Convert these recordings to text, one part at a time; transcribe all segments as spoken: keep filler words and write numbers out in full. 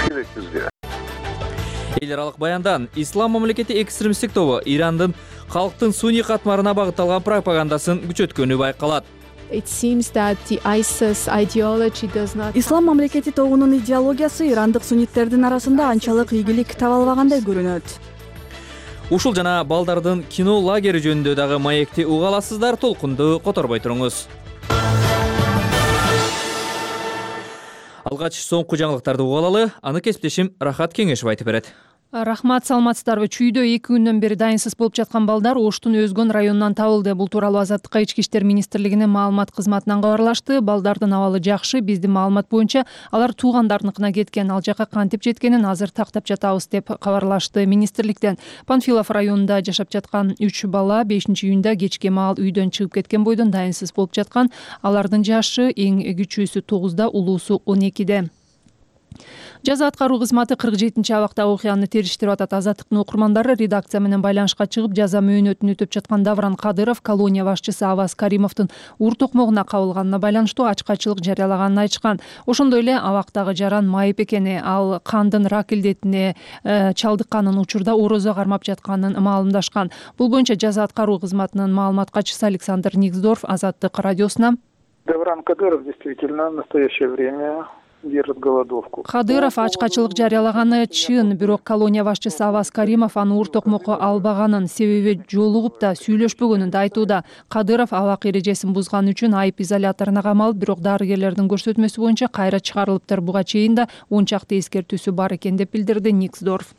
керекпизби? Эл аралык баяндан Ислам мамлекети экстремисттик тобу Ирандын калктын суний катмарына багытталган пропагандасын күчөткөнү байкалат. Ислам мамлекети тобунун идеологиясы ирандык сунниттердин арасында анчалык ийгилик таба албагандай көрүнөт. Ушул жана балдардын кино лагери жөнүндө дагы маекти уга аласыздар, толкунду которбой туруңуз. Алгач соңку жаңылыктарды уга алалы, аны кесиптешим Рахат Кеңешев айтып берет. Рахмат, саламатсыздарбы? Чүйдө эки күндөн бери дайынсыз болуп жаткан балдар Оштун Өзгөн районунан табылды. Бул тууралуу Азаттыкка Ички иштер министрлигинин маалымат кызматынан кабарлашты. Балдардын абалы жакшы. Биздин маалымат боюнча алар туугандарыныкына кеткен. Ал жака кантип жеткенин азыр тактап жатабыз деп кабарлашты министрликтен. Панфилов районунда жашап жаткан үч бала бешинчи июнда кечке маал үйдөн чыгып кеткен бойдон дайынсыз болуп жаткан. Алардын жашы эң кичүүсү тогузда, улуусу он экиде. Жаза аткаруу кызматы кырк жетинчи абакта окуяны териштирип атат. Азаттыктын окурмандары редакция менен байланышка чыгып, жаза мөөнөтүн өтөп жаткан Давран Кадыров колония башчысы Аваз Каримовдун ур токмогуна кабылганына байланыштуу ачкачылык жарыялаганын айтышкан. Ошондой эле абактагы жаран майып экени, ал кандын рак илдетине чалдыкканын, учурда орозо кармап жатканын маалымдашкан. Бул боюнча жаза аткаруу кызматынын маалымат катчысы Александр Никсдорф Азаттык радиосуна: Давран Кадыров действительно в настоящее время держит голодовку. Кадыров ачкачылык жарыялаганы чын, бирок колония башчысы Аваз Каримов аны ур токмокко албаганын, себеби жолугуп да сүйлөшпөгөнүн да айтууда. Кадыров абак эрежесин бузган үчүн айып изоляторуна камалып, бирок дарыгерлердин көрсөтмөсү боюнча кайра чыгарылыптыр. Буга чейин да он чакты эскертүүсү бар экен деп билдирди Никсдорф.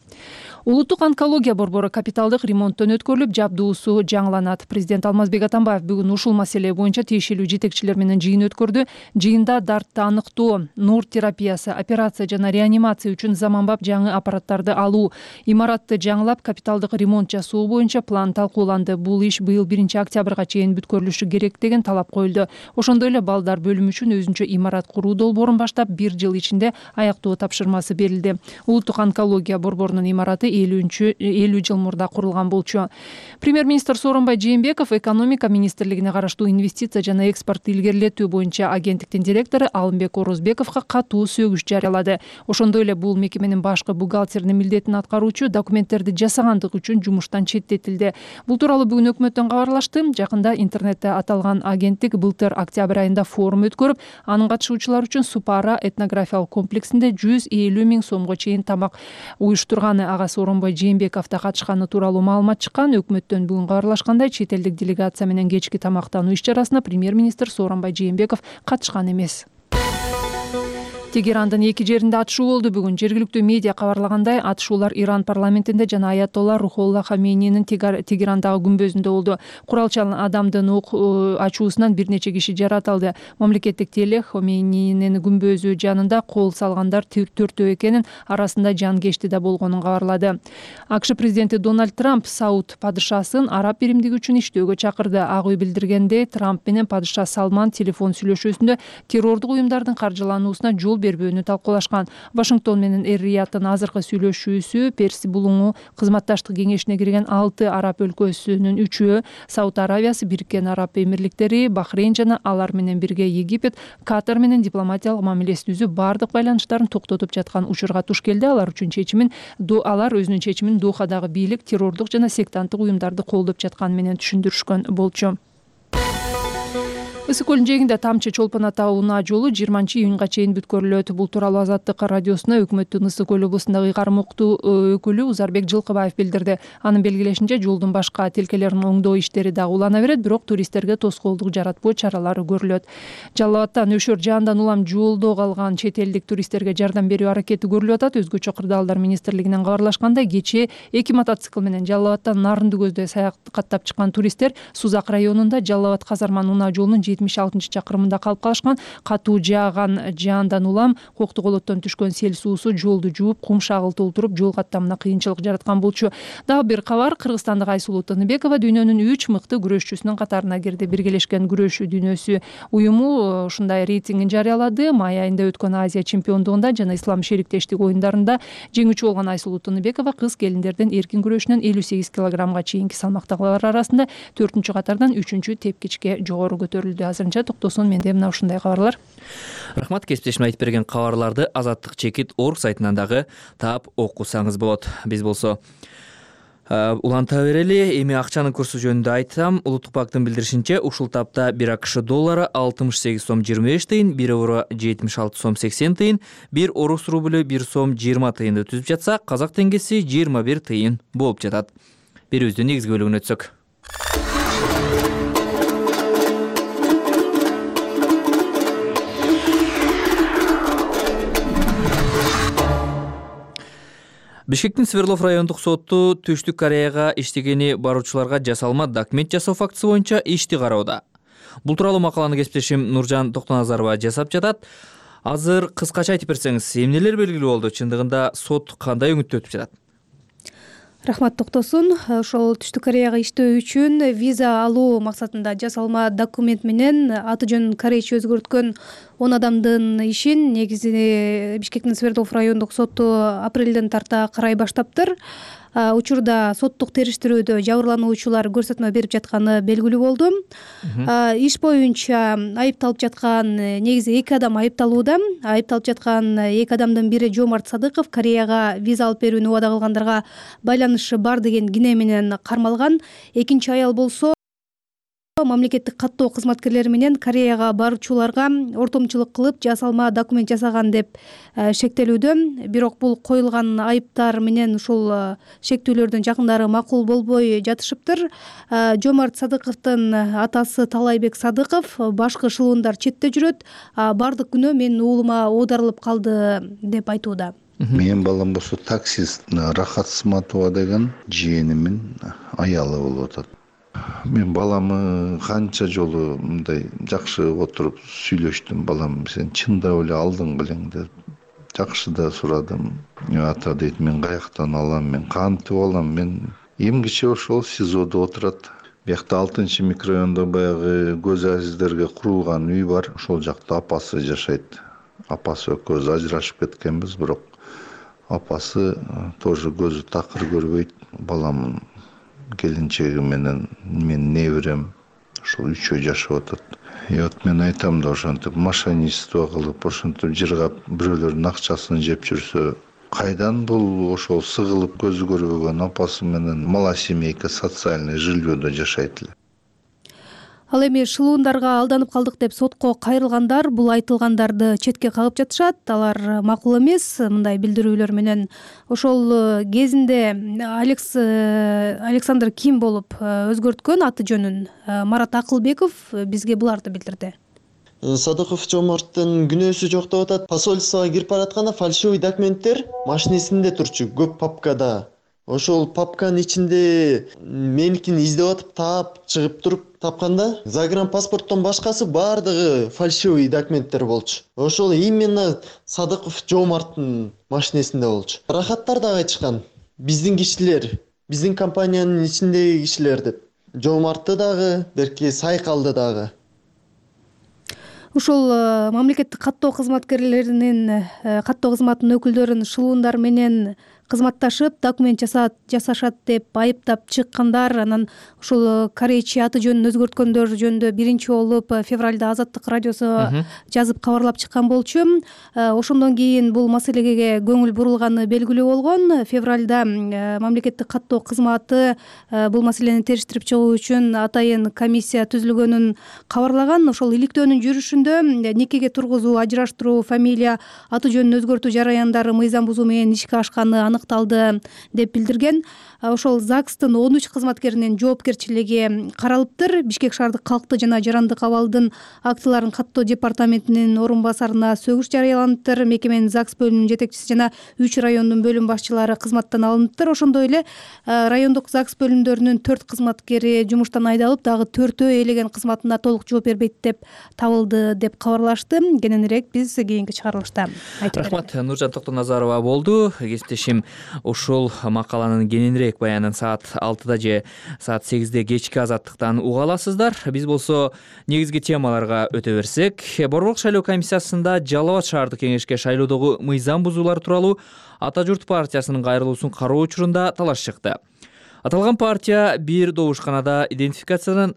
Улуттук онкология борбору капиталдык ремонттон өткөрүлүп, жабдуусу жаңыланат. Президент Алмазбек Атамбаев бүгүн ушул маселе боюнча тиешелүү жетекчилер менен жыйын өткөрдү. Жыйында дартты аныктоо, нур терапиясы, операция жана реанимация үчүн заманбап жаңы аппараттарды алуу, имаратты жаңылап капиталдык ремонт жасоо боюнча план талкууланды. Бул иш быйыл биринчи октябрга чейин бүткөрүлүшү керек деген талап коюлду. Ошондой эле балдар бөлүмү үчүн өзүнчө имарат куруу долбоорун баштап, бир жыл ичинде аяктоо тапшырмасы берилди. Улуттук онкология борборунун имараты элүү жыл мурда курулган болчу. Премьер-министр Сооронбай Жээнбеков экономика министрлигине караштуу инвестиция жана экспортду илгерилетүү боюнча агенттиктин директору Алымбек Орозбековго катуу сөгүш жарыялады. Ошондой эле бул мекеменин башкы бухгалтеринин милдетин аткаруучу документтерди жасагандык үчүн жумуштан четтетилди. Бул тууралуу бүгүн өкмөттөн кабарлашты. Жакында интернетте аталган агенттик былтыр октябрь айында форум өткөрүп, анын катышуучулары үчүн Супара этнографиялык комплексинде жүз элүү миң сомго чейин тамак уюштурганы, ага Сооронбай Жээнбеков да катышканы тууралуу маалымат чыккан. Өкмөттөн бүгүн кабарлашкандай, чет элдик делегация менен кечки тамактануу иш-чарасына премьер-министр Сооронбай Жээнбеков катышкан эмес. Тегерандын эки жеринде атышуу болду бүгүн. Жергиликтүү медиа кабарлагандай, атышуулар Иран парламентинде жана аятолла Рухолла Хамейнинин Тегерандагы күмбөзүндө болду. Куралчан адамдын ок ачуусунан бир нече киши жаратылды. Мамлекеттик теле Хамейнинин күмбөзү жанында кол салгандар төртөө экенин, арасында жанкечти да болгонун кабарлады. АКШ президенти Дональд Трамп Сауд падышасын Араб биримдиги үчүн иштөөгө чакырды. Ак үй билдиргендей, Трамп менен падыша Салман телефон сүйлөшүүсүндө террордук уюмдардын каржылануусуна жол бербөөнү талкуулашкан. Вашингтон менен Эр-Рияттын азыркы сүйлөшүүсү Перси булуңу кызматташтык кеңешине кирген алты араб өлкөсүнүн үчөө, Сауд Аравиясы, Бириккен Араб Эмирликтери, Бахрейн жана алар менен бирге Египет, Катар менен дипломатиялык мамилесин түзүп, бардык байланыштарын токтотуп жаткан учурга туш келди. Алар үчүн чечимин алар өзүнүн чечимин Дохадагы бийлик террордук жана сектанттык уюмдарды колдоп жатканы менен түшүндүрүшкөн болчу. Ысык көлүнүн жээгинде тамчы чолпон ата унаа жолу жыйырманчы июнга чейин бүткөрүлөт. Бул тууралуу Азаттык радиосуна өкмөттүн Ысык көл облусундагы ыйгарым уктуу өкүлү Узарбек Жылкыбаев билдирди. Анын белгилешинче, жолдун башка тилкелерин оңдоо иштери дагы улана берет, бирок туристтерге тоскоолдук жаратпоо чаралары көрүлөт. Жалал Абадтан Өшөр жаандан улам жолдо калган чет элдик туристтерге жардам берүү аракети көрүлүп атат. Өзгөчө кырдаалдар министрлигинен кабарлашкандай, кечээ эки мотоцикл менен Жалал Абадтан Нарынды көздөй саякаттап чыккан туристтер Сузак районунда Жалал Абад Казарман унаа жолунун жетимиш алтынчы чакырымында калып калышкан. Катуу жааган жаандан улам коктук олоттон түшкөн сел суусу жолду жууп, кум шагыл толтуруп, жол каттамына кыйынчылык жараткан болчу. Дагы бир кабар: Кыргызстандык Айсулуу Тыныбекова дүйнөнүн үч мыкты күрөшчүсүнүн катарына кирди. Биргелешкен күрөшүү дүйнөсү уюму ушундай рейтингин жарыялады. Май айында өткөн Азия чемпиондугунда жана Ислам шериктештик оюндарында жеңүүчү болгон Айсулуу Тыныбекова кыз келиндердин эркин күрөшүнөн элүү сегиз килограммга чейинки салмактагылар арасында төртүнчү катардан үчүнчү тепкичке жогору көтөрүлдү. азырынча токтосун менде мына ушундай кабарлар. Рахмат, кесиптешим айтып берген кабарларды Азаттык чекит орг сайтынан дагы таап окусаңыз болот. Биз болсо уланта берели. Эми акчанын курсу жөнүндө айтсам, Улуттук банктын билдиришинче ушул тапта бир АКШ доллары алтымыш сегиз сом жыйырма беш тыйын, бир евро жетимиш алты сом сексен тыйын, бир орус рублю бир сом жыйырма тыйынды түзүп жатса, казак теңгеси жыйырма бир тыйын болуп жатат. Берүүбүздүн негизги бөлүгүнө өтсөк. Бишкектин Свердлов райондук соту Түштүк Кореяга иштегени баруучуларга жасалма документ жасоо фактысы боюнча ишти кароодо. Бул тууралуу макаланы кесиптешим Нуржан Токтоназарова жасап жатат. Азыр кыскача айтып берсеңиз, эмнелер белгилүү болду? Чындыгында сот кандай өңүттө өтүп жатат? Рахмат, токтосун. Ошол Түштүк Кореяга иштөө үчүн виза алуу максатында жасалма документ менен аты жөнүн корейче өзгөрткөн он адамдын ишин негизи Бишкектин Свердлов райондук соту апрелден тарта карай баштаптыр. Учурда соттук териштирүүдө жабырлануучулар көрсөтмө берип жатканы белгилүү болду. Иш боюнча айыпталып жаткан негизи эки адам айыпталууда. Айыпталып жаткан эки адамдын бири Жомарт Садыков Кореяга виза алып берүүнү убада кылгандарга байланышы бар деген кине менен кармалган. Экинчи аял болсо мамлекеттик каттоо кызматкерлери менен Кореяга баруучуларга ортомчулук кылып жасалма документ жасаган деп шектелүүдө. Бирок бул коюлган айыптар менен ушул шектүүлөрдүн жакындары макул болбой жатышыптыр. Жомарт Садыковдун атасы Талайбек Садыков башкы шылуундар четте жүрөт, бардык күнөө менин уулума оодарылып калды деп айтууда. Менин балам болсо таксист Рахат Сматова деген жээнимин аялы болуп атат. Мен баламы канча жолу мындай жакшы отуруп сүйлөштүм. Балам, сен чындап эле алдың белең деп жакшы да сурадым. Ата дейт, мен каяктан алам, мен кантип алам? Мен эмгиче ошол СИЗОдо отурат. Биякта алтынчы микрорайондо баягы көз азиздерге курулган үй бар. Ошол жакта апасы жашайт. Апасы экөөбүз ажырашып кеткенбиз, бирок апасы тоже көзү такыр көрбөйт. Баламын келинчеги менен мен неберем ошол үчөө жашап атат. И вот мен айтам да, ошентип мошенничество кылып, ошентип жыргап бирөөлөрдүн акчасын жеп жүрсө, кайдан бул ошол сыгылып көзү көрбөгөн апасы менен малосемейка социальный жильёдо жашайт эле. Ал эми шылуундарга алданып калдык деп сотко кайрылгандар бул айтылгандарды четке кагып жатышат. Алар макул эмес мындай билдирүүлөр менен. Ошол кезинде Алекс Александр Ким болуп өзгөрткөн аты жөнүн Марат Акылбеков бизге буларды билдирди. Садыков Жомарттын күнөөсү жок деп атат. Посольствого кирип баратканда фальшивый документтер машинесинде турчу, көп папкада. Ошол папканын ичинде меникин издеп атып таап чыгып туруп тапканда загранпаспорттон башкасы баардыгы фальшивый документтер болчу. Ошол именно Садыков Жомарттын машинесинде болчу. Рахаттар дагы айтышкан. Биздин кишилер, биздин компаниянын ичиндеги кишилер деп. Жомартты дагы, берки Сайкалды дагы. Ушул мамлекеттик каттоо кызматкерлеринин каттоо кызматынын өкүлдөрүн шылуундар менен кызматташып документ жасаат жасашат деп айыптап чыккандар. Анан ушул корейче аты жөнүн өзгөрткөндөр жөнүндө биринчи болуп февралда Азаттык радиосу жазып кабарлап чыккан болчу. Ошондон кийин бул маселеге көңүл бурулганы белгилүү болгон. Февралда мамлекеттик каттоо кызматы бул маселени териштирип чыгуу үчүн атайын комиссия түзүлгөнүн кабарлаган. Ошол иликтөөнүн жүрүшүндө никеге тургузуу, ажыраштыруу, фамилия, аты жөнүн өзгөртүү жараяндары мыйзам бузуу менен ишке ашканы аныкталды деп билдирген. Ошол ЗАГСтын он үч кызматкеринин жоопкерчилиги каралыптыр. Бишкек шаардык калкты жана жарандык абалдын актыларын каттоо департаментинин орун басарына сөгүш жарыяланыптыр. Мекеменин ЗАГС бөлүмүнүн жетекчиси жана үч райондун бөлүм башчылары кызматтан алыныптыр. Ошондой эле райондук ЗАГС бөлүмдөрүнүн төрт кызматкери жумуштан айдалып, дагы төртөө ээлеген кызматына толук жооп бербейт деп табылды деп кабарлашты. Кененирээк биз кийинки чыгарылышта айтып беребиз. Рахмат, Нуржан Токтоназарова болду. Кесиптешим ушул макаланын кененирээк баянын саат алтыда же саат сегизде кечки Азаттыктан уга аласыздар. Биз болсо негизги темаларга өтө берсек, Борбордук шайлоо комиссиясында Жалал Абад шаардык кеңешке шайлоодогу мыйзам бузуулар тууралуу Ата журт партиясынын кайрылуусун кароо учурунда талаш чыкты. Аталган партия бир добушканада идентификациядан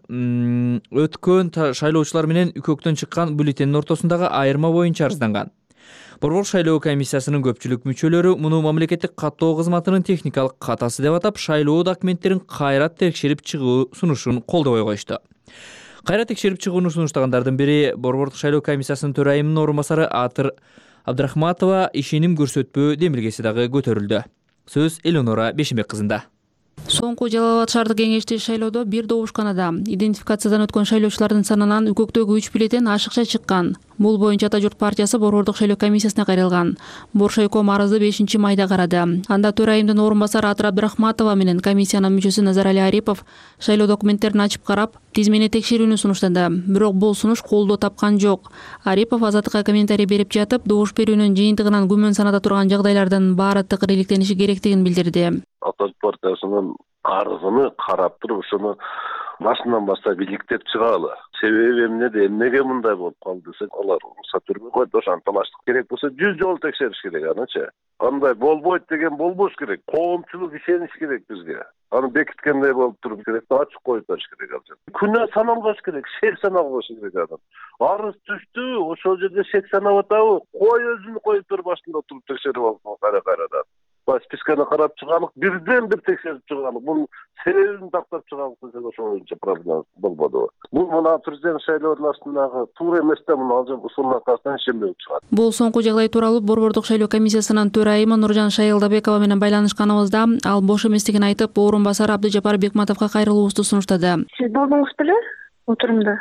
өткөн шайлоочулар менен үкөктөн чыккан бюллетендин ортосундагы айырма боюнча арызданган. Борбор шайлоо комиссиясынын көпчүлүк мүчөлөрү муну мамлекеттик каттоо кызматынын техникалык катасы деп атап, шайлоо документтерин кайра текшерип чыгуу сунушун колдобой коюшту. Кайра текшерип чыгууну сунуштагандардын бири Борбордук шайлоо комиссиясынын төрайымынын орун басары Атыр Абдрахматова ишеним көрсөтпөө демилгеси дагы көтөрүлдү. Сөз Элеонора Бешимбек кызында. Соңку Жалал Абад шаардык кеңештик шайлоодо бир добушканада идентификациядан өткөн шайлоочулардын санынан үкөктөгү үч бюллетен ашыкча чыккан. Бул боюнча Ата журт партиясы Борбордук шайлоо комиссиясына кайрылган. Боршайком арызды бешинчи майда карады. Анда төрайымдын орун басары Атыр Абдрахматова менен комиссиянын мүчөсү Назарали Арипов шайлоо документтерин ачып карап, тизмени текшерүүнү сунуштады. Бирок бул сунуш колдоо тапкан жок. Арипов Азаттыкка комментарий берип жатып, добуш берүүнүн жыйынтыгынан күмөн санада турган жагдайлардын баары тыкыр иликтениши керектигин билдирди. Ата журт партиясынын арызын карап туруп, ошону башынан баштап иликтеп чыгалы. Себеби эмнеде, эмнеге мындай болуп калды десек, алар уруксат бербей койду. Ошону талаштык керек болсо жүз жолу текшериш керек анычы. Андай болбойт деген болбош керек. Коомчулук ишениш керек бизге. Аны бекиткендей болуп туруп керек, ачык коюп бериш керек ал. Күнөө саналбаш керек, шек саналбаш керек адам. Арыз түштү, ошол жерде шек санап атабы? Кой өзүнү коюп туруп башында туруп текшерип алып кайра-кайрадан. Списканы карап чыгалык, бирден бир текшерип чыгалык. Бул себебин тактап чыгалык десек, ошол боюнча проблема болбоду. Бул мына президент шайлоонун астындагы туура эмес да, муну ал жерде ушунун аркасынан ишенбей чыгат. Бул соңку жагдай тууралуу Борбордук шайлоо комиссиясынын төрайымы Нуржан Шайылдабекова менен байланышканыбызда ал бош эместигин айтып, орун басары Абдыжапар Бекматовго кайрылуубузду сунуштады. Сиз болдуңуз беле отурумда?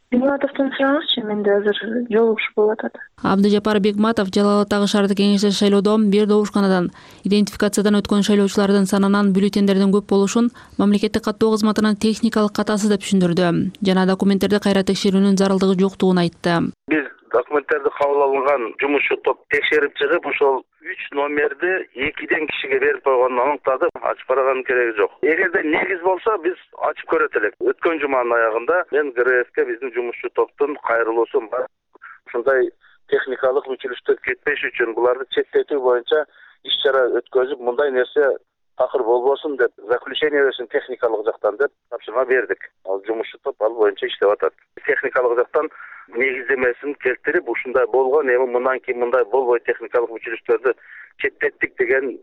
Бекматовдон сураңызчы, менде азыр жолугушуу болуп атат. Абдыжапар Бекматов Жалал Абадтагы шаардык кеңештик шайлоодо бир добушканадан идентификациядан өткөн шайлоочулардын санынан бюллетендердин көп болушун мамлекеттик каттоо кызматынын техникалык катасы деп түшүндүрдү жана документтерди кайра текшерүүнүн зарылдыгы жоктугун айтты. Биз документтерди кабыл алынган жумушчу топ текшерип чыгып, ошол үч номерди экиден кишиге берип койгонун аныктады. Ачып караганын кереги жок. Эгерде негиз болсо биз ачып көрөт элек. Өткөн жуманын аягында мен ГРФке биздин жумушчу топтун кайрылуусун бар. Ушундай техникалык мүчөлүштөр кетпеш үчүн буларды четтетүү боюнча иш чара өткөзүп, мындай нерсе такыр болбосун деп заключение берсин техникалык жактан деп тапшырма бердик. Ал жумушчу топ ал боюнча иштеп атат. Техникалык жактан негиздемесин келтирип, ушундай болгон, эми мындан кийин мындай болбойт, техникалык мүчөлүштөрдү четтеттик деген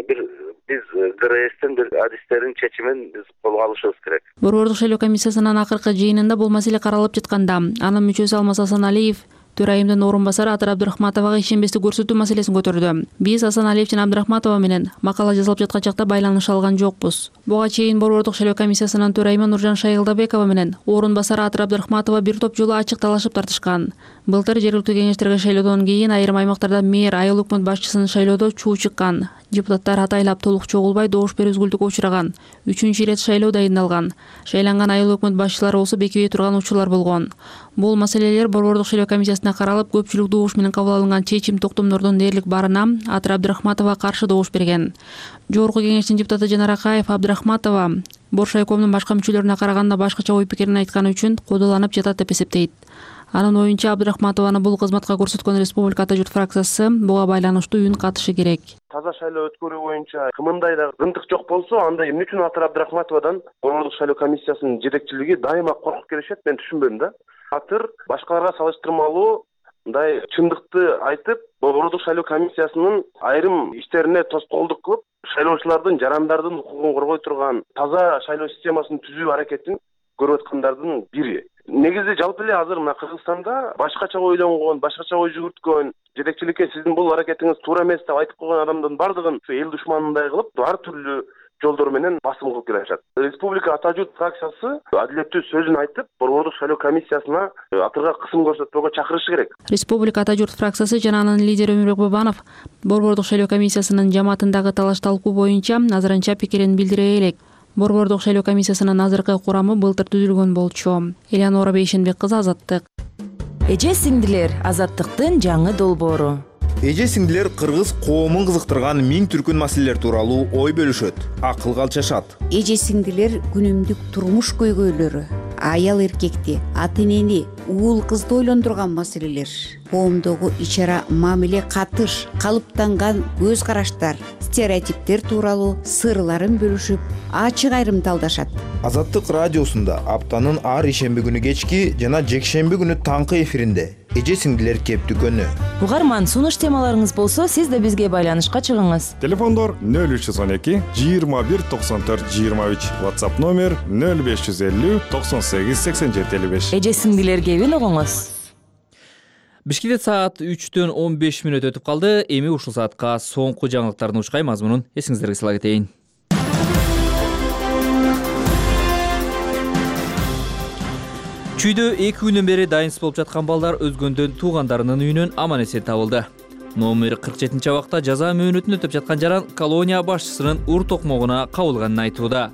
бир биз ГРСтин бир адистерин чечимин биз колго алышыбыз керек. Борбордук шайлоо комиссиясынын акыркы жыйынында бул маселе каралып жатканда, анын мүчөсү Алмаз Асаналиев төрайымдын орун басары Атыр Абдрахматовага ишенбестик көрсөтүү маселесин көтөрдү. Биз Асаналиев жана Абдрахматова менен макала жазылып жаткан чакта байланыша алган жокпуз. Буга чейин Борбордук шайлоо комиссиясынын төрайымы Нуржан Шайылдабекова менен орун басары Атыр Абдрахматова бир топ жолу ачык талашып тартышкан. Былтыр жергиликтүү кеңештерге шайлоодон кийин айрым аймактарда мэр, айыл өкмөт башчысын шайлоодо чуу чыккан. Депутаттар атайлап толук чогулбай добуш берүү үзгүлтүккө учураган. Үчүнчү ирет шайлоо дайындалган. Шайланган айыл өкмөт башчылары болсо бекибей турган учурлар болгон. Бул маселелер Борбордук шайлоо комиссиясына каралып, көпчүлүк добуш менен кабыл алынган чечим токтомдордун дээрлик барына Атыр Абдрахматова каршы добуш берген. Жогорку кеңештин депутаты Жанар Акаев Абдрахматова Боршайкомдун башка мүчөлөрүнө караганда башкача ой пикирин айтканы үчүн кодоланып жатат деп эсептейт. Анын оюнча Абдрахматованы бул кызматка көрсөткөн Республика Ата журт фракциясы буга байланыштуу үн катышы керек. Таза шайлоо өткөрүү боюнча кымындай да ынтык жок болсо, анда эмне үчүн Атыр Абдрахматовадан Борбордук шайлоо комиссиясынын жетекчилиги дайыма коркуп келишет, мен түшүнбөйм да. Атыр башкаларга салыштырмалуу мындай чындыкты айтып, Борбордук шайлоо комиссиясынын айрым иштерине тоскоолдук кылып, шайлоочулардын, жарандардын укугун коргой турган таза шайлоо системасын түзүү аракетин көрүп аткандардын бири. Негизи жалпы эле азыр мына Кыргызстанда башкача ойлонгон, башкача ой жүгүрткөн, жетекчиликке сиздин бул аракетиңиз туура эмес деп айтып койгон адамдын бардыгын эл душманындай кылып, ар түрлүү жолдор менен басым кылып келишат. Республика Ата журт фракциясы адилеттүү сөзүн айтып, Борбордук шайлоо комиссиясына Атырга кысым көрсөтпөгө чакырышы керек. Республика Ата журт фракциясы жана анын лидери Өмүрбек Бабанов Борбордук шайлоо комиссиясынын жамаатындагы талаш-талкуу боюнча азырынча пикирин билдире элек. Борбордук шайлоо комиссиясынын азыркы курамы былтыр түзүлгөн болчу. Элеонора Бейшенбек кызы, Азаттык. Эже сиңдилер, Азаттыктын жаңы долбоору. Эже сиңдилер кыргыз коомун кызыктырган миң түркүн маселелер тууралуу ой бөлүшөт, акылга алчашат. Эже сиңдилер күнүмдүк турмуш көйгөйлөрү, аял эркекти, ата энени, уул кызды ойлондурган маселелер. Коомдогу ич ара мамиле, катыш, калыптанган көз караштар, стереотиптер тууралуу сырларын бөлүшүп, ачык айрымталдашат. Азаттык радиосунда аптанын ар ишемби күнү кечки жана жекшемби күнү таңкы эфиринде эже сиңдилер кептүкөнү. Угарман, сунуш темаларыңыз болсо, сиз да бизге байланышка чыгыңыз. Телефондор нөл үч жүз он эки жыйырма бир токсон төрт жыйырма үч, WhatsApp номер нөл беш жүз элүү токсон сегиз сексен жети элүү беш. Эже сиңдилер кебин угуңуз. Бишкекте саат үчтөн он беш мүнөт өтүп калды. Эми ушул саатка соңку жаңылыктардын ушкай мазмунун эсиңиздерге сала кетейин. Чүйдө эки күндөн бери дайынсыз болуп жаткан балдар өзгөндөн туугандарынын үйүнөн аман эсен табылды. Номер кырк жетинчи абакта жаза мөөнөтүн өтөп жаткан жаран колония башчысынын ур токмогуна кабылганын айтууда.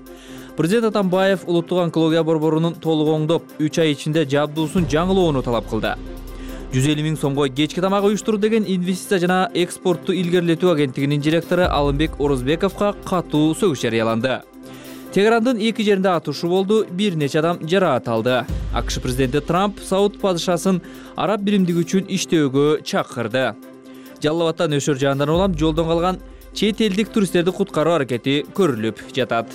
Президент Атамбаев улуттук онкология борборунун толук оңдоп, үч ай ичинде жабдуусун жаңылоону талап кылды. жүз элүү миң сомго кечки тамак уюштуруу деген инвестиция жана экспортту илгерилетүү агенттигинин директору Алымбек Орозбековго катуу сөгүш жарыяланды. Тегерандын эки жеринде атышуу болду, бир нече адам жараат алды. АКШ президенти Трамп Сауд падышасын араб биримдиги үчүн иштөөгө чакырды. Жалал Абадтан Өшөр жаандан улам жолдон калган чет элдик туристтерди куткаруу аракети көрүлүп жатат.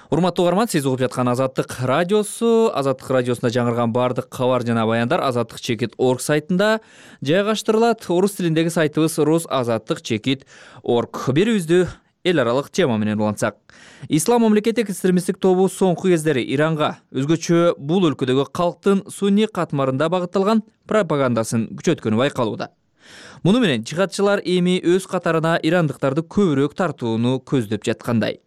Урматтуу угарман, сиз угуп жаткан Азаттык радиосу. Азаттык радиосунда жаңырган бардык кабар жана баяндар азаттык чекит орг сайтында жайгаштырылат. Орус тилиндеги сайтыбыз рус азаттык чекит орг. Берүүбүздү эл аралык тема менен улантсак. Ислам мамлекеттик экстремисттик тобу соңку кездери Иранга, өзгөчө бул өлкөдөгү калктын сунни катмарында багытталган пропагандасын күчөткөнү байкалууда. Муну менен жихадчылар эми өз катарына ирандыктарды көбүрөөк тартууну көздөп жаткандай.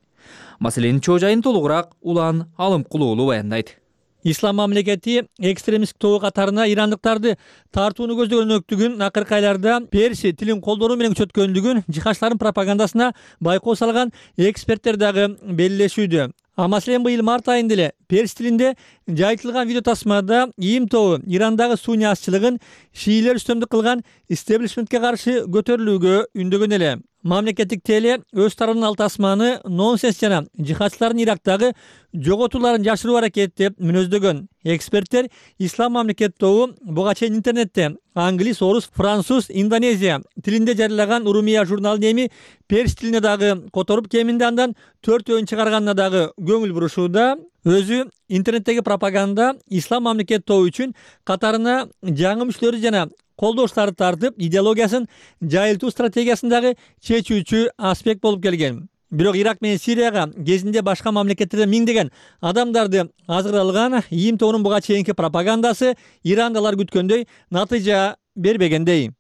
Маселенин чоо жайын толугураак Улан Алымкулуулу баяндайт. Ислам мамлекети экстремисттик тобу катарына ирандыктарды тартууну көздөгөнлүктүгүн акыркы айларда перси тилин колдонуу менен күчөткөндүгүн жихадчылардын пропагандасына байкоо салган эксперттер дагы белгилешүүдө. А маселен быйыл март айында эле перс тилинде жайылтылган видео тасмада ИИМ тобу Ирандагы сунни азчылыгын шиилер үстөмдүк кылган истеблишментке каршы көтөрүлүүгө үндөгөн эле. Мамлекеттик теле өз тарабынан ал тасманы нонсенс жана жихадчылардын Ирактагы жоготууларын жашыруу аракети деп мүнөздөгөн. Эксперттер Ислам мамлекет тобу буга чейин интернетте англис, орус, француз, индонезия тилинде жарыялаган Урумия журналын эми перс тилине дагы которуп, кеминде андан төртөөнү чыгарганына дагы көңүл бурушууда. Өзү интернеттеги пропаганда Ислам мамлекет тобу үчүн катарына жаңы мүчөлөрү жана колдоштарды тартып, идеологиясын жайылтуу стратегиясындагы чечүүчү аспект болуп келген. Бирок Ирак менен Сирияга кезинде башка мамлекеттерден миңдеген адамдарды азгыралган ИИМ тобунун буга чейинки пропагандасы ирандалар күткөндөй натыйжа бербегендей.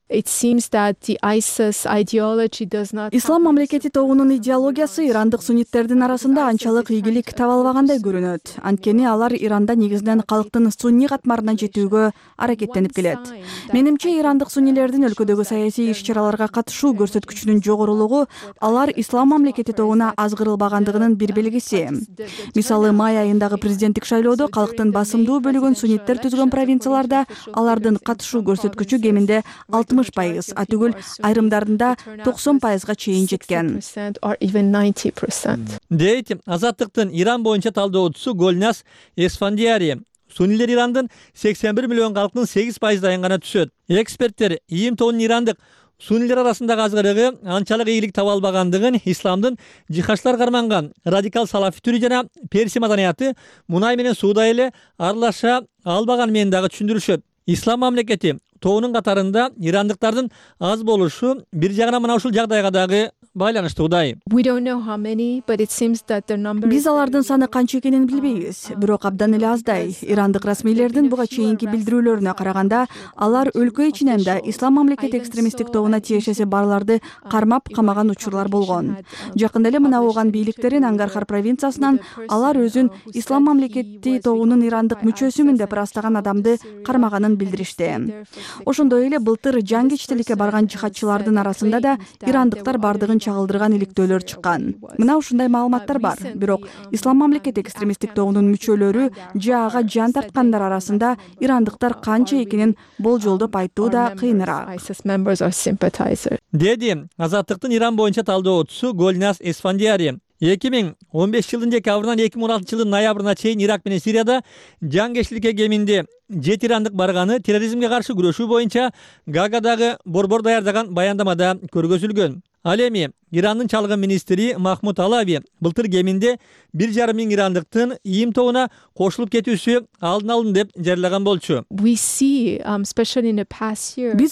Ислам мамлекети тобунун идеологиясы ирандык сунниттердин арасында анчалык ийгилик таба албагандай көрүнөт. Анткени алар Иранда негизинен калктын сунни катмарына жетүүгө аракеттенип келет. Менимче ирандык суннилердин өлкөдөгү саясий иш-чараларга катышуу көрсөткүчүнүн жогорулугу алар Ислам мамлекети тобуна азгырылбагандыгынын бир белгиси. Мисалы, май айындагы президенттик шайлоодо калктын басымдуу бөлүгүн сунниттер түзгөн провинцияларда алардын катышуу көрсөткүчү кеминде алтымыш пайыз, атүгүл айрымдарында токсон пайызга чейин жеткен. Дейт Азаттыктын Иран боюнча талдоочусу Гольнас Эсфандиари. Суннилер Ирандын сексен бир миллион калктын сегиз пайыздайын гана түшөт. Эксперттер ИИМ тобунун ирандык суннилер арасындагы азгырыгы анчалык ийгилик таба албагандыгын, исламдын жихадчылар карманган радикал салафи түрү жана перси маданияты мунай менен сууда эле аралаша албаган менен дагы түшүндүрүшөт. Ислам мамлекети тобунун катарында ирандыктардын аз болушу бир жагынан мына ушул жагдайга дагы байланыштуудай. Биз алардын саны канча экенин билбейбиз, бирок абдан эле аздай. Ирандык расмийлердин буга чейинки билдирүүлөрүнө караганда, алар өлкө ичинен да Ислам мамлекети экстремисттик тобуна тиешеси барларды кармап камаган учурлар болгон. Жакында эле мына ооган бийликтерин Ангархар провинциясынан алар өзүн Ислам мамлекети тобунун ирандык мүчөсүмүн деп ырастаган адамды кармаганын билдиришти. Ошондой эле былтыр жаңгичтиликке барган жихадчылардын арасында да ирандыктар бардыгын чагылдырган иликтөөлөр чыккан. Мына ушундай маалыматтар бар. Бирок Ислам мамлекети экстремисттик тобунун мүчөлөрү же ага жан тарткандар арасында ирандыктар канча экенин болжолдоп айтуу да кыйыныраак. деди Азаттыктын Иран боюнча талдоочусу Гольнас Эсфандияри. эки миң он беш жылдын декабрынан эки миң он алтынчы жылдын ноябрына чейин Ирак менен Сирияда жангечтиликке кеминде жети ирандык барганы терроризмге каршы күрөшүү боюнча Гаагадагы борбор даярдаган баяндамада көргөзүлгөн. Ал эми Ирандын чалгын министри Махмуд Алави былтыр кеминде бир жарым миң ирандыктын ийим тобуна кошулуп кетүүсү алдын алынды деп жарыялаган болчу. Биз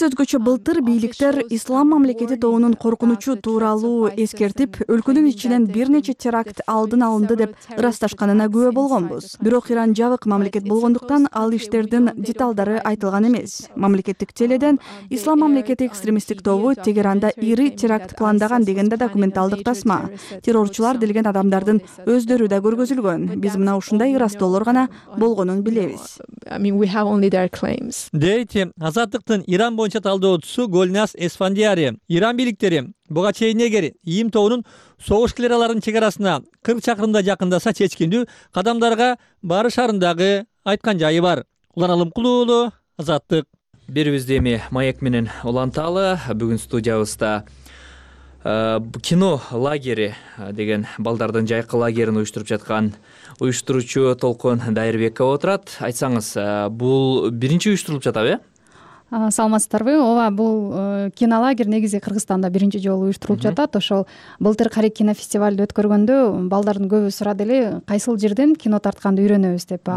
өзгөчө былтыр бийликтер Ислам мамлекети тобунун коркунучу тууралуу эскертип, өлкөнүн ичинен бир нече теракт алдын алынды деп ырасташканына күбө болгонбуз. Бирок Иран жабык мамлекет болгондуктан ал иштердин деталдары айтылган эмес. Мамлекеттик теледен Ислам мамлекети экстремисттик тобу Тегеранда ири теракт пландаган деген документалдык тасма. Террорчулар делген адамдардын өздөрү да көргөзүлгөн. Биз мына ушундай ырастоолор гана болгонун билебиз. Дейт Азаттыктын Иран боюнча талдоочусу Гольнас Эсфандияри. Иран бийликтери буга чейин эгер ийим тобунун согуш килераларынын чек арасына кырк чакырымда жакындаса чечкиндүү кадамдарга барышарын дагы айткан жайы бар. Улан Алымкулуу уулу, Азаттык. Берибизде эми Маек менен уланталы. Бүгүн студиябызда кино лагери деген балдардын жайкы лагерин уюштуруп жаткан уюштуруучу Толкун Дайырбекова отурат. Айтсаңыз, бул биринчи уюштурулуп жатабы, э? Саламатсыздарбы? Ооба, бул кинолагерь негизи Кыргызстанда биринчи жолу уюштурулуп жатат. Ошол былтыр Карек кинофестивалды өткөргөндө балдардын көбү сурады эле, кайсыл жерден кино тартканды үйрөнөбүз деп.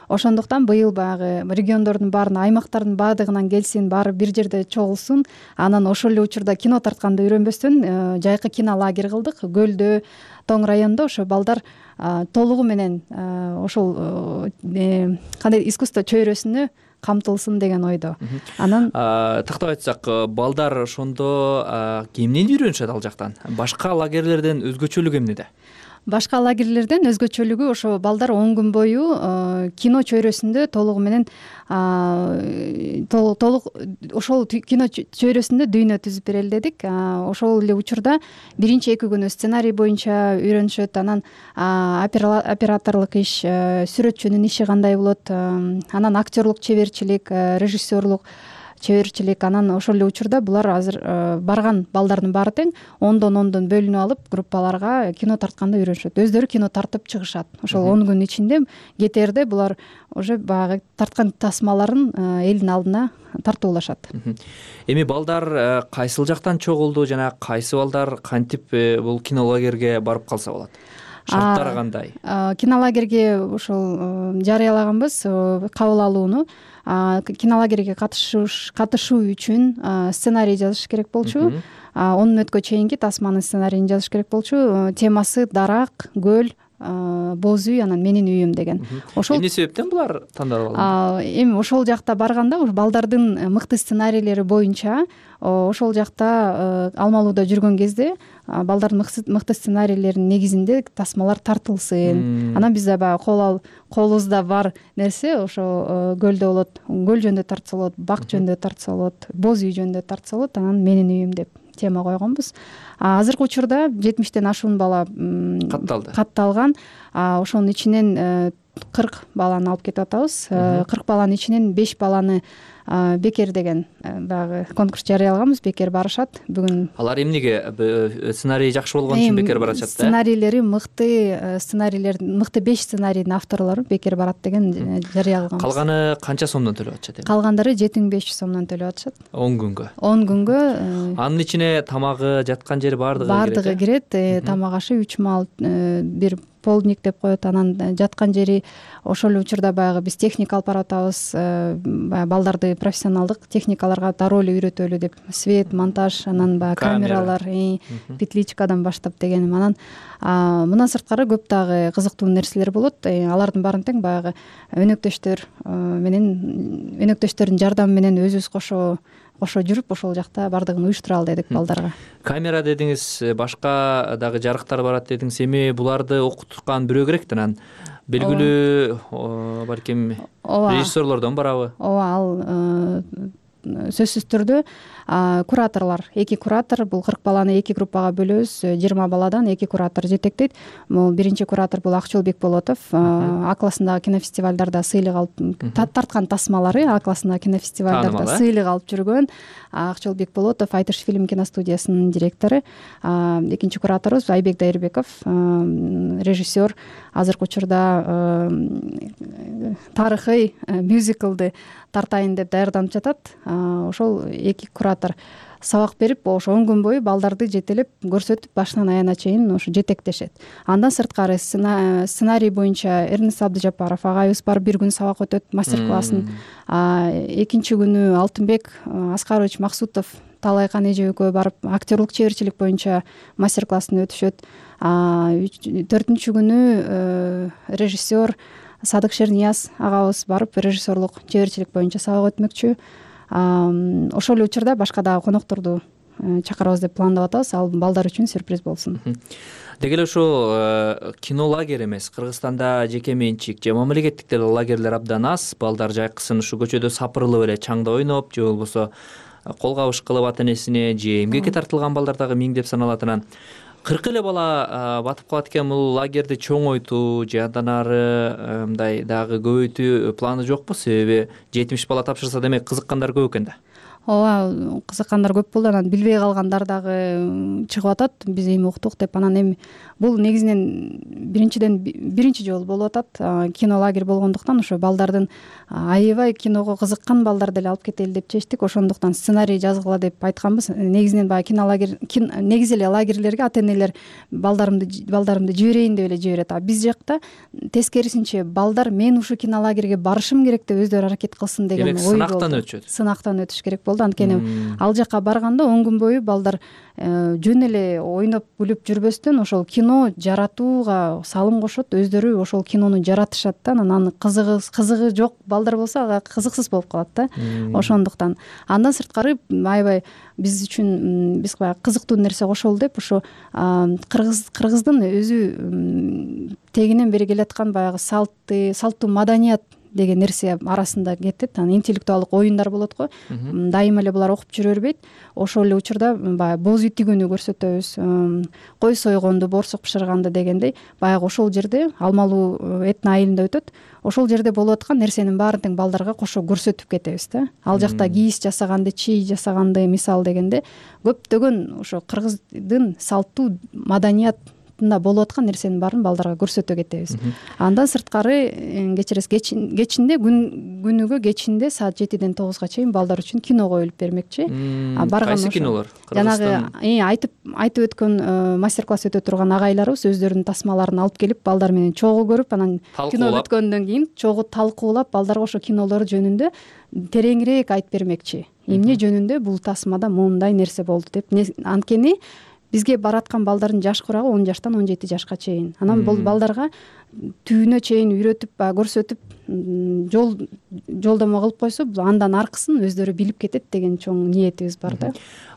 Ошондуктан быйыл баягы региондордун баарына, аймактардын баардыгынан келсин, баары бир жерде чогулсун. Анан ошол эле учурда кино тартканды үйрөнбөстөн жайкы кинолагерь кылдык. Көлдө, Тоң районунда ошо балдар толугу менен ошол кандай искусство чөйрөсүнө камтылсын деген ойдо. Анан тактап айтсак, балдар ошондо эмнени үйрөнүшөт ал жактан? Башка лагерлерден өзгөчөлүгү эмнеде? Башка лагерлерден өзгөчөлүгү ошо балдар он күн бою кино чөйрөсүндө толугу менен толук ошол кино чөйрөсүндө дүйнө түзүп берели дедик. Ошол эле учурда биринчи эки күнү сценарий боюнча үйрөнүшөт. Анан операторлук иш, сүрөтчүнүн иши кандай болот, анан актерлук чеберчилик, режиссерлук чеберчилик. Анан ошол эле учурда булар азыр барган балдардын баары тең ондон ондон бөлүнүп алып группаларга кино тартканды үйрөнүшөт. Өздөрү кино тартып чыгышат. Ошол он күн ичинде кетерде булар уже баягы тарткан тасмаларын элдин алдына тартуулашат. Эми балдар кайсыл жактан чогулду жана кайсы балдар кантип бул кинолагерге барып калса болот? Шарттары кандай? Кинолагерге ошол жарыялаганбыз кабыл алууну. Кинолагерге катышуу үчүн сценарий жазыш керек болчу. он мүнөткө чейинки тасманын сценарийин жазыш керек болчу. Темасы дарак, көл, боз үй, анан менин үйүм деген. Ошол эмне себептен булар тандалып алынды? Эми ошол жакта барганда балдардын мыкты сценарийлери боюнча ошол жакта алмалууда жүргөн кезде балдардын мыкты сценарийлеринин негизинде тасмалар тартылсын. Анан бизде баягы кол колубузда бар нерсе ошо көлдө болот. Көл жөнүндө тартса болот, бак жөнүндө тартса болот, боз үй жөнүндө тартса болот, анан менин үйүм деп тема койгонбуз. Азыркы учурда жетимиштен ашуун бала катталды. Катталган. Ошонун ичинен кырк баланы алып кетип атабыз. кырк баланын ичинен беш баланы бекер деген баягы конкурс жарыялаганбыз, бекер барышат. Бүгүн алар эмнеге сценарий жакшы болгон үчүн бекер барышат да? Сценарийлери мыкты, сценарийлер мыкты беш сценарийдин авторлору бекер барат деген жарыялаганбыз. Калганы канча сомдон төлөп атышат эми? Калгандары жети миң беш жүз сомдон төлөп атышат. он күнгө. он күнгө. Анын ичине тамагы, жаткан жери баардыгы кирет. Баардыгы кирет. Тамак ашы үч мал, бир полдник деп коет. Анан жаткан жери ошол эле учурда баягы биз техника алып баратабыз. Балдарды профессионалдык техникаларга дароо эле үйрөтөлү деп, свет, монтаж, анан баягы камералар, петличкадан баштап дегеним. Анан мындан сырткары көп дагы кызыктуу нерселер болот. Алардын баарын тең баягы өнөктөштөр менен, өнөктөштөрдүн жардамы менен өзүбүз кошо кошо жүрүп ошол жакта баардыгын уюштура алдык балдарга. Камера дедиңиз, башка дагы жарыктар барат дедиңиз. Эми буларды окуткан бирөө керек да, анан белгилүү балким режиссерлордон барабы? Ооба, ал сөзсүз түрдө кураторлор, эки куратор, бул кырк баланы эки группага бөлөбүз, жыйырма баладан эки куратор жетектейт. Бул биринчи куратор бул Акчол Бекболотов, А классындагы кинофестивалдарда сыйлык алып тарткан тасмалары, А классындагы кинофестивалдарда сыйлык алып жүргөн Акчол Бекболотов, Айтыш фильм киностудиясынын директору. Экинчи кураторубуз Айбек Дайырбеков, режиссер, азыркы учурда тарыхый мюзиклды тартайын деп даярданып жатат. Ошол эки куратор сабак берип, ошо он күн бою балдарды жетелеп көрсөтүп, башынан аягына чейин ошо жетектешет. Андан сырткары сценарий боюнча Эрнест Абдыжапаров агайыбыз барып бир күн сабак өтөт, мастер-классын. Экинчи күнү Алтынбек Аскарович Максутов, Талайкан эже экөө барып актерлук чеберчилик боюнча мастер-классын өтүшөт. Төртүнчү күнү режиссер Садык Шернияз агабыз барып режиссерлук чеберчилик боюнча сабак өтмөкчү. Ошол эле учурда башка дагы конокторду чакырабыз деп пландап атабыз. Ал балдар үчүн сюрприз болсун. Деги эле ушул кино лагерь эмес, Кыргызстанда жеке менчик же мамлекеттик деле лагерлер абдан аз. Балдар жайкысын ушу көчөдө сапырылып эле чаңда ойноп, же болбосо кол кабыш кылып ата энесине, же эмгекке тартылган балдар дагы миңдеп саналат. Анан кырк эле бала батып калат экен. Бул лагерди чоңойтуу же андан ары мындай дагы көбөйтүү планы жокпу? Себеби жетимиш бала тапшырса, демек кызыккандар көп экен да. Ооба, кызыккандар көп болду. Анан билбей калгандар дагы чыгып атат. Биз эми уктук деп. Анан эми бул негизинен биринчиден биринчи жолу болуп атат. Кино лагерь болгондуктан ошо балдардын аябай киного кызыккан балдар деле алып кетели деп чечтик. Ошондуктан сценарий жазгыла деп айтканбыз. Негизинен баягы кино лагерь, негизи эле лагерлерге ата энелер балдарымды балдарымды жиберейин деп эле жиберет. А биз жакта тескерисинче балдар мен ушу кино лагерге барышым керек деп өздөрү аракет кылсын деген ой болду. Сынактан өтүшөт. Сынактан өтүш керек болду. Анткени ал жака барганда он күн бою балдар жөн эле ойноп күлүп жүрбөстөн ошол кино жаратууга салым кошот, өздөрү ошол кинону жаратышат да. Анан аны кызыгы кызыгы жок балдар болсо ага кызыксыз болуп калат да. Ошондуктан андан сырткары аябай биз үчүн биз баягы кызыктуу нерсе кошолу деп ошо кыргыз кыргыздын өзү тегинен бери келаткан баягы салты, салттуу маданият деген нерсе арасында кетет. Анан интеллектуалдык оюндар болот го. Дайыма эле булар окуп жүрө бербейт. Ошол эле учурда баягы боз үй тигүүнү көрсөтөбүз. Кой сойгонду, боорсук бышырганды дегендей баягы ошол жерде Алмалуу этно айылында өтөт. Ошол жерде болуп аткан нерсенин баарын тең балдарга кошо көрсөтүп кетебиз да. Ал жакта кийиз жасаганды, чий жасаганды мисал дегенде көптөгөн ошо кыргыздын салттуу маданият болуп аткан нерсенин баарын балдарга көрсөтө кетебиз. Андан сырткары кечиресиз кечинде күнүгө кечинде саат жетиден тогузга чейин балдар үчүн кино коюлуп бермекчи. Кайсы кинолор? Жанагы айтып айтып өткөн мастер-класс өтө турган агайларыбыз өздөрүнүн тасмаларын алып келип балдар менен чогуу көрүп, анан кино бүткөндөн кийин чогуу талкуулап балдарга ошо кинолор жөнүндө тереңирээк айтып бермекчи. Эмне жөнүндө бул тасмада моундай нерсе болду деп. Анткени бизге бараткан балдардын жаш курагы он жаштан он жети жашка чейин. Анан бул балдарга түбүнө чейин үйрөтүп, көрсөтүп, жол жолдомо кылып койсо, андан аркысын өздөрү билип кетет деген чоң ниетибиз бар да.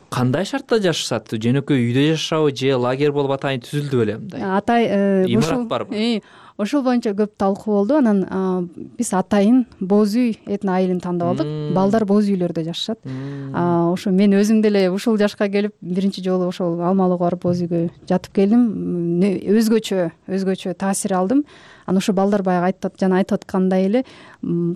Кандай шартта жашашат? Жөнөкөй үйдө жашашабы же лагерь болуп атайын түзүлдү беле мындай? Атай имарат барбы? Ошол боюнча көп талкуу болду. Анан биз атайын боз үй этно айылын тандап алдык. Балдар боз үйлөрдө жашашат. Ошо мен өзүм деле ушул жашка келип биринчи жолу ошол Алмалууга барып боз үйгө жатып келдим. Өзгөчө, өзгөчө таасир алдым. Анан ошо балдар баягы айтып жана айтып аткандай эле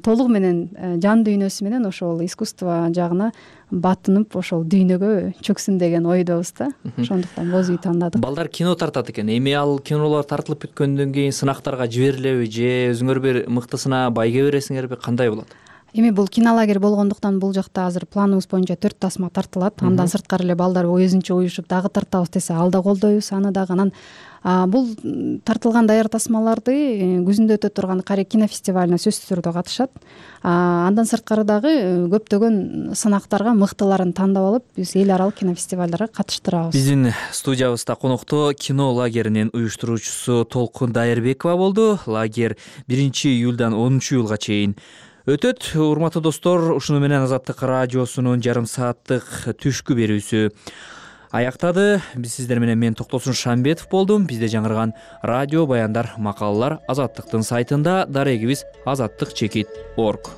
толугу менен жан дүйнөсү менен ошол искусство жагына батынып ошол дүйнөгө чөксүн деген ойдобуз да. Ошондуктан боз үй тандадык. Балдар кино тартат экен. Эми ал кинолор тартылып бүткөндөн кийин сынактарга жиберилеби же өзүңөр бир мыктысына байге бересиңерби? Кандай болот? Эми бул кинолагерь болгондуктан бул жакта азыр планыбыз боюнча төрт тасма тартылат. Андан сырткары эле балдар өзүнчө уюшуп дагы тартабыз десе, ал да колдойбуз аны дагы. Анан бул тартылган даяр тасмаларды күзүндө өтө турган Карек кинофестивалына сөзсүз түрдө катышат. Андан сырткары дагы көптөгөн сынактарга мыктыларын тандап алып, биз эл аралык кинофестивалдарга катыштырабыз. Биздин студиябызда конокто кино лагеринин уюштуруучусу Толкун Дайырбекова болду. Лагерь биринчи июлдан онунчу июлга чейин өтөт. Урматтуу достор, ушуну менен Азаттык радиосунун жарым сааттык түшкү берүүсү аяктады. Биз сиздер менен мен Токтосун Шамбетов болдум. Бизде жаңырган радио баяндар, макалалар Азаттыктын сайтында, дарегибиз азаттык чекит точка орг.